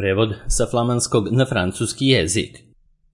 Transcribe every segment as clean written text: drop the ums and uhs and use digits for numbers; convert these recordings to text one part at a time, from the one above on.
Prevod sa flamanskog na francuski jezik.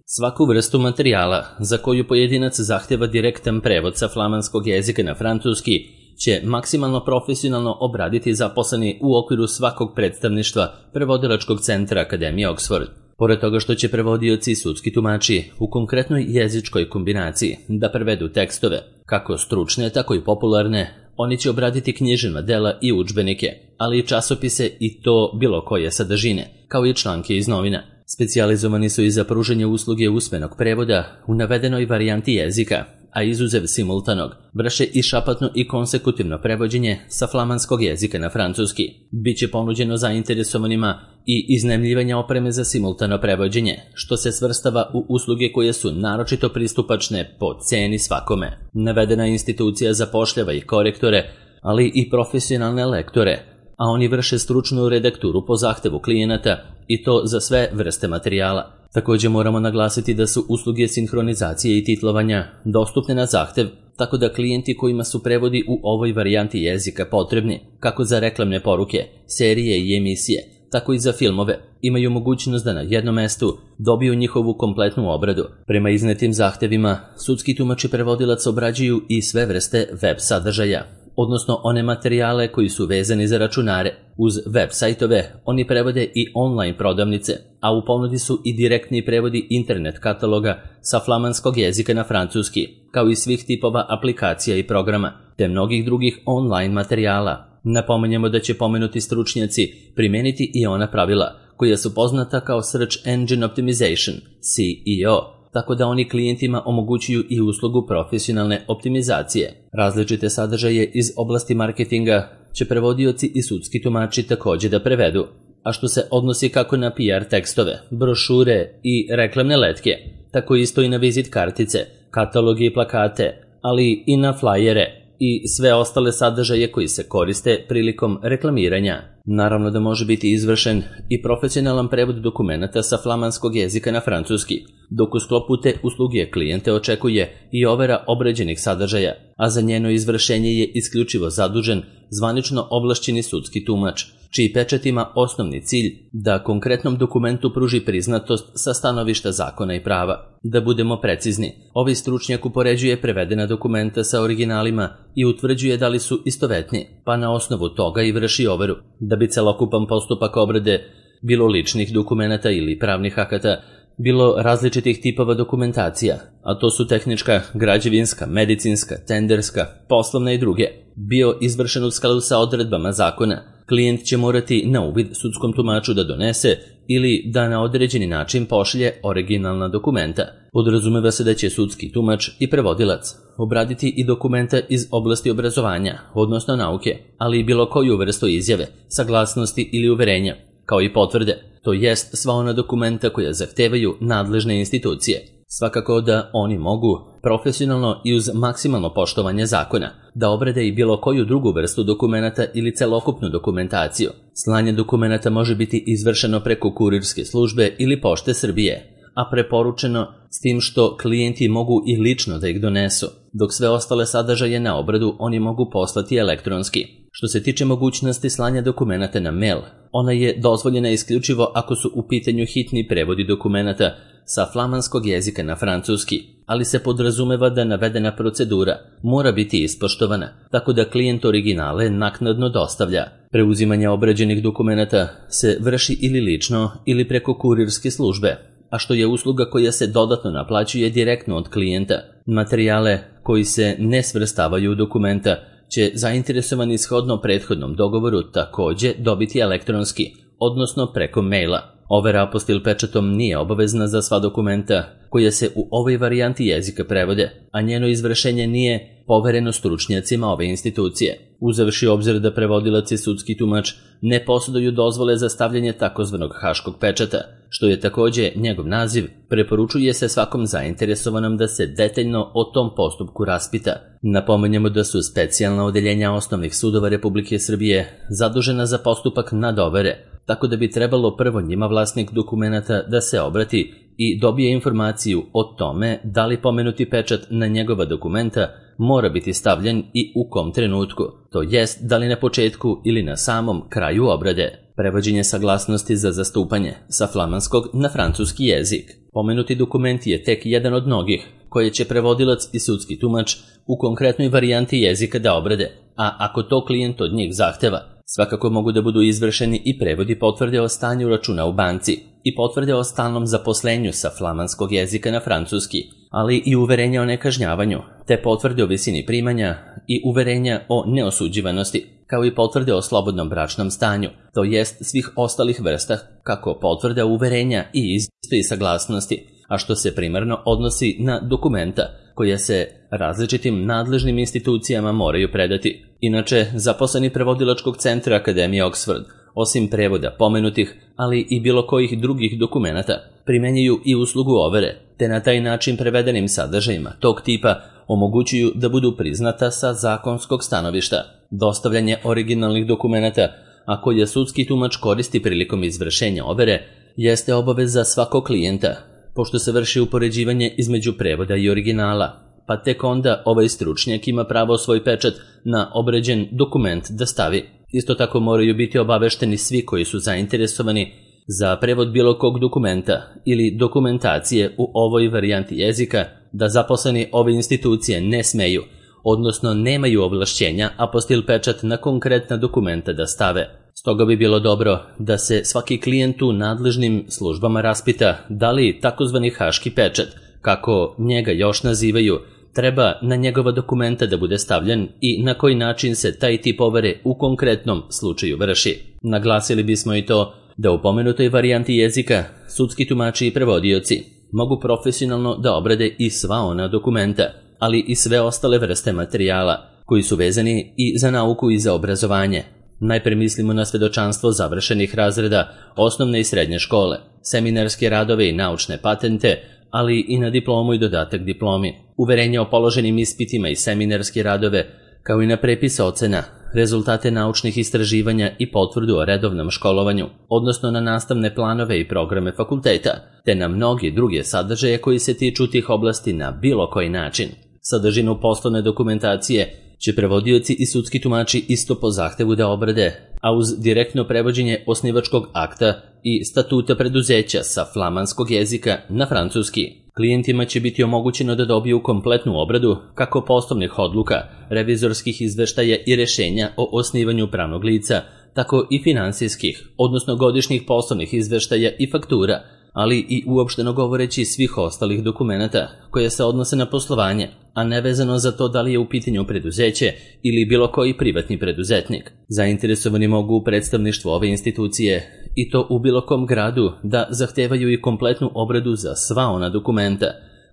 Svaku vrstu materijala za koju pojedinac zahteva direktan prevod sa flamanskog jezika na francuski će maksimalno profesionalno obraditi zaposleni u okviru svakog predstavništva prevodilačkog centra Akademije Oxford. Pored toga što će prevodioci i sudski tumači u konkretnoj jezičkoj kombinaciji da prevedu tekstove, kako stručne, tako i popularne, oni će obraditi književna dela i udžbenike, ali i časopise i to bilo koje sadržine, kao i članke iz novina. Specijalizovani su i za pružanje usluge usmenog prevoda u navedenoj varijanti jezika, a izuzev simultanog, vrše i šapatno i konsekutivno prevođenje sa flamanskog jezika na francuski. Biće ponuđeno zainteresovanima i iznajmljivanje opreme za simultano prevođenje, što se svrstava u usluge koje su naročito pristupačne po ceni svakome. Navedena institucija zapošljava i korektore, ali i profesionalne lektore, a oni vrše stručnu redakturu po zahtevu klijenata i to za sve vrste materijala. Također moramo naglasiti da su usluge sinhronizacije i titlovanja dostupne na zahtev, tako da klijenti kojima su prevodi u ovoj varijanti jezika potrebni, kako za reklamne poruke, serije i emisije, tako i za filmove, imaju mogućnost da na jednom mestu dobiju njihovu kompletnu obradu. Prema iznetim zahtevima, sudski tumač i prevodilac obrađuju i sve vrste web sadržaja, odnosno one materijale koji su vezani za računare. Uz web sajtove oni prevode i online prodavnice, a u ponudi su i direktni prevodi internet kataloga sa flamanskog jezika na francuski, kao i svih tipova aplikacija i programa, te mnogih drugih online materijala. Napominjemo da će pomenuti stručnjaci primeniti i ona pravila koja su poznata kao Search Engine Optimization, SEO, tako da oni klijentima omogućuju i uslugu profesionalne optimizacije. Različite sadržaje iz oblasti marketinga će prevodioci i sudski tumači također da prevedu, a što se odnosi kako na PR tekstove, brošure i reklamne letke, tako isto i na vizit kartice, kataloge i plakate, ali i na flajere i sve ostale sadržaje koji se koriste prilikom reklamiranja. Naravno da može biti izvršen i profesionalan prevod dokumenata sa flamanskog jezika na francuski, dok u sklopu te usluge klijente očekuje i overa obrađenih sadržaja, a za njeno izvršenje je isključivo zadužen zvanično ovlašćeni sudski tumač, čiji pečat ima osnovni cilj da konkretnom dokumentu pruži priznatost sa stanovišta zakona i prava. Da budemo precizni, ovaj stručnjak upoređuje prevedena dokumenta sa originalima i utvrđuje da li su istovetni, pa na osnovu toga i vrši overu. Da bi celokupan postupak obrade, bilo ličnih dokumenata ili pravnih akata, bilo različitih tipova dokumentacija, a to su tehnička, građevinska, medicinska, tenderska, poslovna i druge, bio izvršen u skladu sa odredbama zakona, klijent će morati na uvid sudskom tumaču da donese ili da na određeni način pošalje originalna dokumenta. Podrazumeva se da će sudski tumač i prevodilac obraditi i dokumenta iz oblasti obrazovanja, odnosno nauke, ali i bilo koju vrstu izjave, saglasnosti ili uverenja, kao i potvrde, to jest sva ona dokumenta koja zahtevaju nadležne institucije. Svakako da oni mogu, profesionalno i uz maksimalno poštovanje zakona, da obrade i bilo koju drugu vrstu dokumenata ili celokupnu dokumentaciju. Slanje dokumenata može biti izvršeno preko kurirske službe ili Pošte Srbije, a preporučeno s tim što klijenti mogu i lično da ih donesu, dok sve ostale sadržaje na obradu oni mogu poslati elektronski. Što se tiče mogućnosti slanja dokumenata na mail, ona je dozvoljena isključivo ako su u pitanju hitni prevodi dokumenata sa flamanskog jezika na francuski, ali se podrazumeva da navedena procedura mora biti ispoštovana, tako da klijent originale naknadno dostavlja. Preuzimanje obrađenih dokumenata se vrši ili lično ili preko kurirske službe, a što je usluga koja se dodatno naplaćuje direktno od klijenta. Materijale koji se ne svrstavaju u dokumenta će zainteresovani shodno prethodnom dogovoru također dobiti elektronski, odnosno preko maila. Overa apostil pečatom nije obavezna za sva dokumenta koja se u ovoj varijanti jezika prevode, a njeno izvršenje nije povereno stručnjacima ove institucije. Uzevši obzir da prevodilac i sudski tumač ne posjeduju dozvole za stavljanje takozvanog haškog pečata, što je također njegov naziv, preporučuje se svakom zainteresovanom da se detaljno o tom postupku raspita. Napominjemo da su specijalna odeljenja osnovnih sudova Republike Srbije zadužena za postupak nadovere, tako da bi trebalo prvo njima vlasnik dokumenata da se obrati i dobije informaciju o tome da li pomenuti pečat na njegova dokumenta mora biti stavljen i u kom trenutku, to jest da li na početku ili na samom kraju obrade. Prevođenje saglasnosti za zastupanje sa flamanskog na francuski jezik. Pomenuti dokument je tek jedan od mnogih koje će prevodilac i sudski tumač u konkretnoj varijanti jezika da obrade, a ako to klijent od njih zahteva, svakako mogu da budu izvršeni i prevodi potvrde o stanju računa u banci i potvrde o stalnom zaposlenju sa flamanskog jezika na francuski, ali i uverenja o nekažnjavanju, te potvrde o visini primanja i uverenja o neosuđivanosti, kao i potvrde o slobodnom bračnom stanju, to jest svih ostalih vrsta, kako potvrda uverenja i isto saglasnosti, a što se primarno odnosi na dokumenta koja se različitim nadležnim institucijama moraju predati. Inače, zaposleni prevodilačkog centra Akademije Oxford, osim prevoda pomenutih, ali i bilo kojih drugih dokumenata, primenjuju i uslugu overe, te na taj način prevedenim sadržajima tog tipa omogućuju da budu priznata sa zakonskog stanovišta. Dostavljanje originalnih dokumenata, a koje sudski tumač koristi prilikom izvršenja overe, jeste obaveza svakog klijenta, pošto se vrši upoređivanje između prevoda i originala, pa tek onda ovaj stručnjak ima pravo svoj pečat na obređen dokument da stavi. Isto tako moraju biti obavešteni svi koji su zainteresovani za prevod bilo kog dokumenta ili dokumentacije u ovoj varijanti jezika da zaposleni ove institucije ne smeju, odnosno nemaju ovlašćenja apostil pečat na konkretna dokumenta da stave. Stoga bi bilo dobro da se svaki klijent u nadležnim službama raspita da li takozvani haški pečat, kako njega još nazivaju, treba na njegova dokumenta da bude stavljen i na koji način se taj tip overe u konkretnom slučaju vrši. Naglasili bismo i to da u pomenutoj varijanti jezika sudski tumači i prevodioci mogu profesionalno da obrade i sva ona dokumenta, ali i sve ostale vrste materijala koji su vezani i za nauku i za obrazovanje. Najpre mislimo na svedočanstvo završenih razreda osnovne i srednje škole, seminarske radove i naučne patente, ali i na diplomu i dodatak diplomi, uverenje o položenim ispitima i seminarske radove, kao i na prepise ocena, rezultate naučnih istraživanja i potvrdu o redovnom školovanju, odnosno na nastavne planove i programe fakulteta, te na mnogi druge sadržaje koji se tiču tih oblasti na bilo koji način. Sadržinu poslovne dokumentacije će prevodioci i sudski tumači isto po zahtevu da obrade, a uz direktno prevođenje osnivačkog akta i statuta preduzeća sa flamanskog jezika na francuski, klijentima će biti omogućeno da dobiju kompletnu obradu kako poslovnih odluka, revizorskih izveštaja i rešenja o osnivanju pravnog lica, tako i finansijskih, odnosno godišnjih poslovnih izveštaja i faktura, ali i uopšteno govoreći svih ostalih dokumenata koje se odnose na poslovanje, a nevezano za to da li je u pitanju preduzeće ili bilo koji privatni preduzetnik. Zainteresovani mogu u predstavništvu ove institucije, i to u bilo kom gradu, da zahtevaju i kompletnu obradu za sva ona dokumenta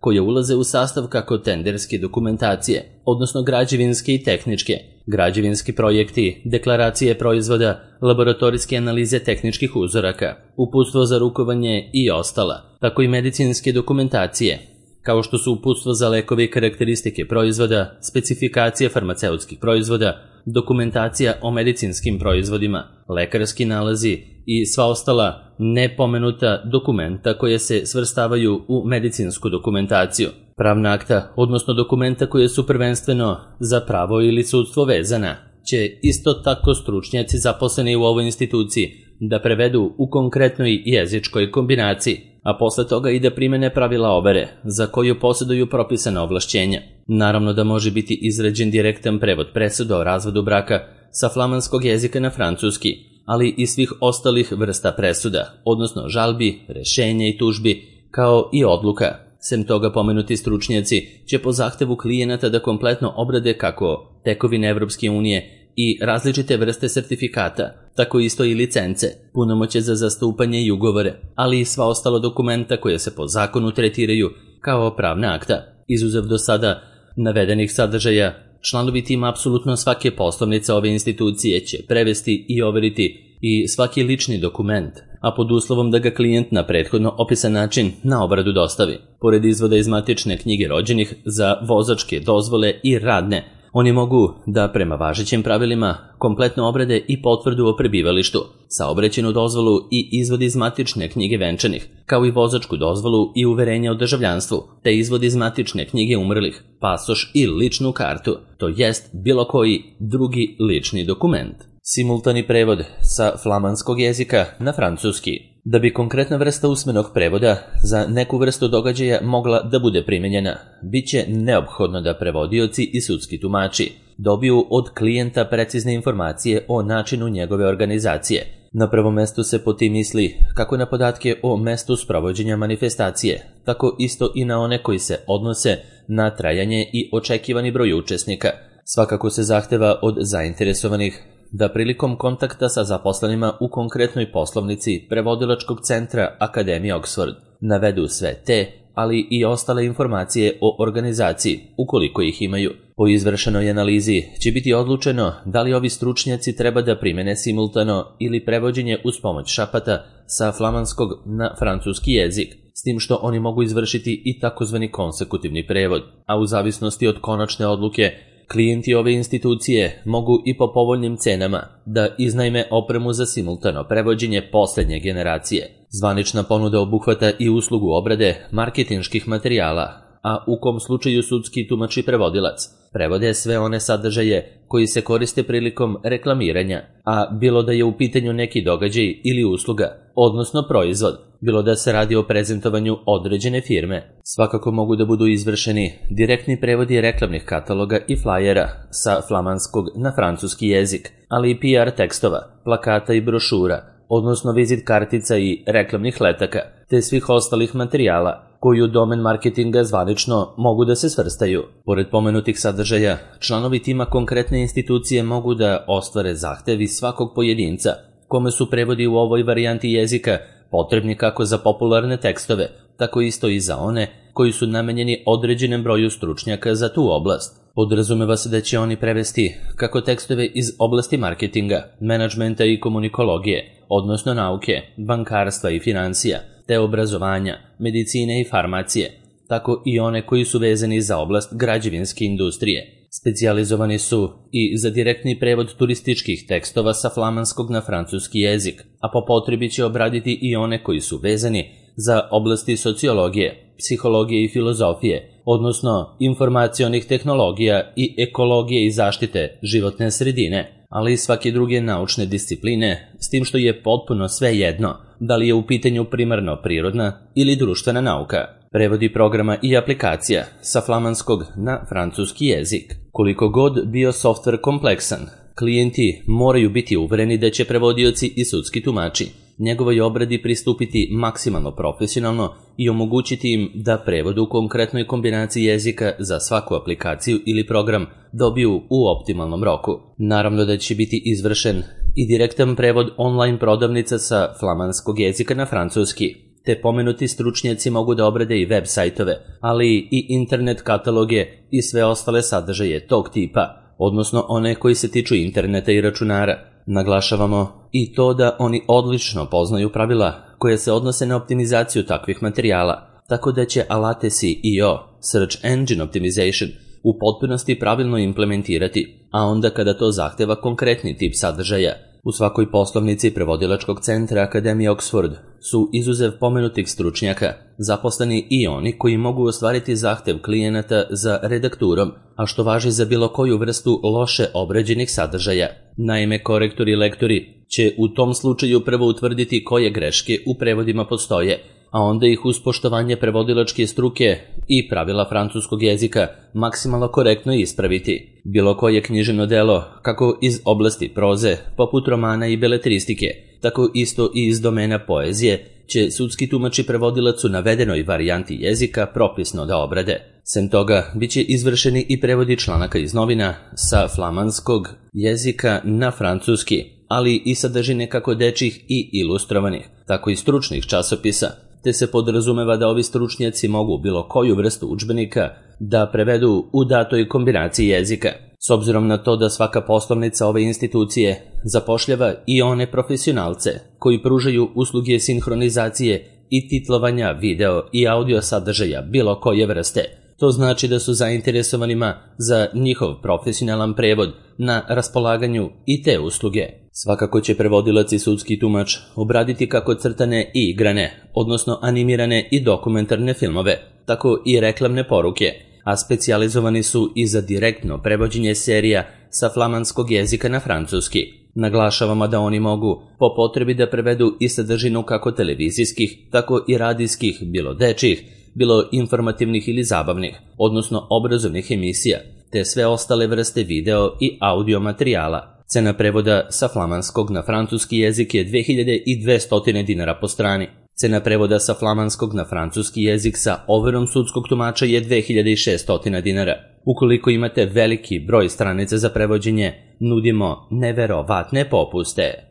koje ulaze u sastav kako tenderske dokumentacije, odnosno građevinske i tehničke, građevinski projekti, deklaracije proizvoda, laboratorijske analize tehničkih uzoraka, uputstvo za rukovanje i ostala, tako i medicinske dokumentacije, kao što su uputstvo za lekove i karakteristike proizvoda, specifikacije farmaceutskih proizvoda, dokumentacija o medicinskim proizvodima, lekarski nalazi i sva ostala nepomenuta dokumenta koje se svrstavaju u medicinsku dokumentaciju. Pravna akta, odnosno dokumenta koje su prvenstveno za pravo ili sudstvo vezana, će isto tako stručnjaci zaposleni u ovoj instituciji da prevedu u konkretnoj jezičkoj kombinaciji, a posle toga i da primene pravila overe za koju posjeduju propisana ovlašćenja. Naravno da može biti izrađen direktan prevod presuda o razvodu braka sa flamanskog jezika na francuski, ali i svih ostalih vrsta presuda, odnosno žalbi, rešenja i tužbi, kao i odluka. Sem toga, pomenuti stručnjaci će po zahtevu klijenata da kompletno obrade kako tekovine Evropske unije i različite vrste sertifikata, tako isto i licence, punomoćje za zastupanje i ugovore, ali i sva ostala dokumenta koje se po zakonu tretiraju kao pravna akta. Izuzev do sada navedenih sadržaja, članovi tima apsolutno svake poslovnice ove institucije će prevesti i overiti i svaki lični dokument, a pod uslovom da ga klijent na prethodno opisan način na obradu dostavi. Pored izvoda iz matične knjige rođenih za vozačke dozvole i radne, oni mogu da prema važećim pravilima kompletno obrade i potvrdu o prebivalištu, saobraćajnu dozvolu i izvod iz matične knjige venčanih, kao i vozačku dozvolu i uverenje o državljanstvu, te izvod iz matične knjige umrlih, pasoš i ličnu kartu, to jest bilo koji drugi lični dokument. Simultani prevod sa flamanskog jezika na francuski. Da bi konkretna vrsta usmenog prevoda za neku vrstu događaja mogla da bude primenjena, bit će neophodno da prevodioci i sudski tumači dobiju od klijenta precizne informacije o načinu njegove organizacije. Na prvom mestu se po tim misli kako na podatke o mestu sprovođenja manifestacije, tako isto i na one koji se odnose na trajanje i očekivani broj učesnika. Svakako se zahteva od zainteresovanih da prilikom kontakta sa zaposlenima u konkretnoj poslovnici prevodilačkog centra Akademije Oxford navedu sve te, ali i ostale informacije o organizaciji, ukoliko ih imaju. Po izvršenoj analizi će biti odlučeno da li ovi stručnjaci treba da primene simultano ili prevođenje uz pomoć šapata sa flamanskog na francuski jezik, s tim što oni mogu izvršiti i takozvani konsekutivni prevod, a u zavisnosti od konačne odluke klijenti ove institucije mogu i po povoljnim cenama da iznajme opremu za simultano prevođenje poslednje generacije. Zvanična ponuda obuhvata i uslugu obrade marketinških materijala, a u kom slučaju sudski tumač i prevodilac prevode sve one sadržaje koji se koriste prilikom reklamiranja, a bilo da je u pitanju neki događaj ili usluga, odnosno proizvod, bilo da se radi o prezentovanju određene firme. Svakako mogu da budu izvršeni direktni prevodi reklamnih kataloga i flajera sa flamanskog na francuski jezik, ali i PR tekstova, plakata i brošura, odnosno vizit kartica i reklamnih letaka, te svih ostalih materijala koji u domen marketinga zvanično mogu da se svrstaju. Pored pomenutih sadržaja, članovi tima konkretne institucije mogu da ostvare zahtevi svakog pojedinca, kome su prevodi u ovoj varijanti jezika potrebni kako za popularne tekstove, tako isto i za one koji su namenjeni određenom broju stručnjaka za tu oblast. Podrazumeva se da će oni prevesti kako tekstove iz oblasti marketinga, menadžmenta i komunikologije, odnosno nauke, bankarstva i financija, te obrazovanja, medicine i farmacije, tako i one koji su vezani za oblast građevinske industrije. Specijalizovani su i za direktni prevod turističkih tekstova sa flamanskog na francuski jezik, a po potrebi će obraditi i one koji su vezani za oblasti sociologije, psihologije i filozofije, odnosno informacionih tehnologija i ekologije i zaštite životne sredine, ali i svake druge naučne discipline, s tim što je potpuno sve jedno da li je u pitanju primarno prirodna ili društvena nauka. Prevodi programa i aplikacija sa flamanskog na francuski jezik. Koliko god bio softver kompleksan, klijenti moraju biti uvereni da će prevodioci i sudski tumači njegovoj obradi pristupiti maksimalno profesionalno i omogućiti im da prevod u konkretnoj kombinaciji jezika za svaku aplikaciju ili program dobiju u optimalnom roku. Naravno da će biti izvršen i direktan prevod online prodavnica sa flamanskog jezika na francuski, te pomenuti stručnjaci mogu da obrade i web sajtove, ali i internet kataloge i sve ostale sadržaje tog tipa, odnosno one koji se tiču interneta i računara. Naglašavamo i to da oni odlično poznaju pravila koje se odnose na optimizaciju takvih materijala, tako da će alate SEO, Search Engine Optimization, u potpunosti pravilno implementirati, a onda kada to zahteva konkretni tip sadržaja. U svakoj poslovnici prevodilačkog centra Akademije Oxford su izuzev pomenutih stručnjaka zaposleni i oni koji mogu ostvariti zahtev klijenata za redakturom, a što važi za bilo koju vrstu loše obrađenih sadržaja. Naime, korektori i lektori će u tom slučaju prvo utvrditi koje greške u prevodima postoje, a onda ih uz poštovanje prevodilačke struke i pravila francuskog jezika maksimalno korektno ispraviti. Bilo koje književno delo, kako iz oblasti proze, poput romana i beletristike, tako isto i iz domena poezije, će sudski tumač i prevodilac u navedenoj varijanti jezika propisno da obrade. Sem toga, bit će izvršeni i prevodi članaka iz novina sa flamanskog jezika na francuski, ali i sadržine kako dečjih i ilustrovanih, tako i stručnih časopisa, te se podrazumeva da ovi stručnjaci mogu bilo koju vrstu udžbenika da prevedu u datoj kombinaciji jezika. S obzirom na to da svaka poslovnica ove institucije zapošljava i one profesionalce koji pružaju usluge sinhronizacije i titlovanja video i audio sadržaja bilo koje vrste, to znači da su zainteresovanima za njihov profesionalan prevod na raspolaganju i te usluge. Svakako će prevodilac i sudski tumač obraditi kako crtane i igrane, odnosno animirane i dokumentarne filmove, tako i reklamne poruke, a specijalizovani su i za direktno prevođenje serija sa flamanskog jezika na francuski. Naglašavamo da oni mogu po potrebi da prevedu i sadržinu kako televizijskih, tako i radijskih, bilo dečjih, bilo informativnih ili zabavnih, odnosno obrazovnih emisija, te sve ostale vrste video i audio materijala. Cena prevoda sa flamanskog na francuski jezik je 2200 dinara po strani. Cena prevoda sa flamanskog na francuski jezik sa overom sudskog tumača je 2600 dinara. Ukoliko imate veliki broj stranica za prevođenje, nudimo neverovatne popuste.